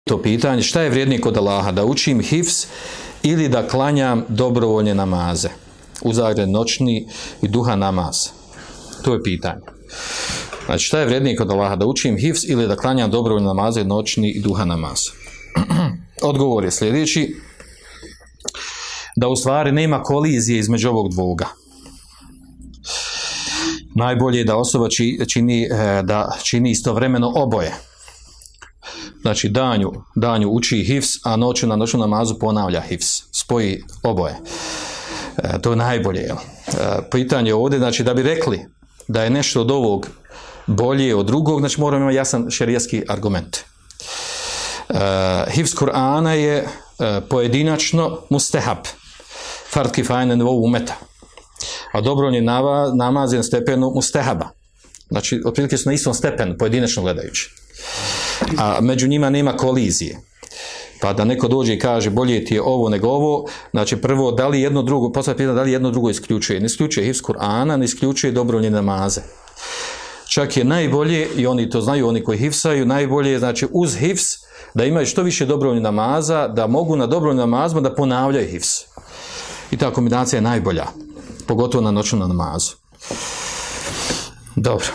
to pitanje, šta je vrijednije kod Allaha, da učim hifz ili da klanjam dobrovoljne namaze, u zagradi noćni i duha namaz. To je pitanje. Znači, šta je vrijednije kod Allaha, da učim hifz ili da klanjam dobrovoljne namaze, noćni i duha namaz? Odgovor je sljedeći, da u stvari nema kolizije između ovog dvoga. Najbolje je da osoba čini istovremeno oboje. Znači, danju uči hifz, a noću na noćnu namazu ponavlja hifz. Spoji oboje. To je najbolje. Pitanje ovdje, znači, da bi rekli da je nešto od ovog bolje od drugog, znači moramo imati jasan šerijatski argument. Hifz Kur'ana je pojedinačno mustehab, fard kifaje na nivou umeta, a dobrovoljni namaz je na stepenu mustehaba. Znači, otprilike su na istom stepenu, pojedinačno gledajući. A među njima nema kolizije. Pa da neko dođe i kaže bolje ti je ovo nego ovo, znači prvo, da li jedno drugo, poslije pitanje da li jedno drugo isključuje. Ne isključuje hifz Kur'ana, ne isključuje dobrovoljne namaze. Čak je najbolje, i oni to znaju, oni koji hifsaju, najbolje je, znači, uz hifz, da imaju što više dobrovoljnih namaza, da mogu na dobrovoljnim namazima da ponavljaju hifz. I ta kombinacija je najbolja, pogotovo na noćnom namazu. Dobro.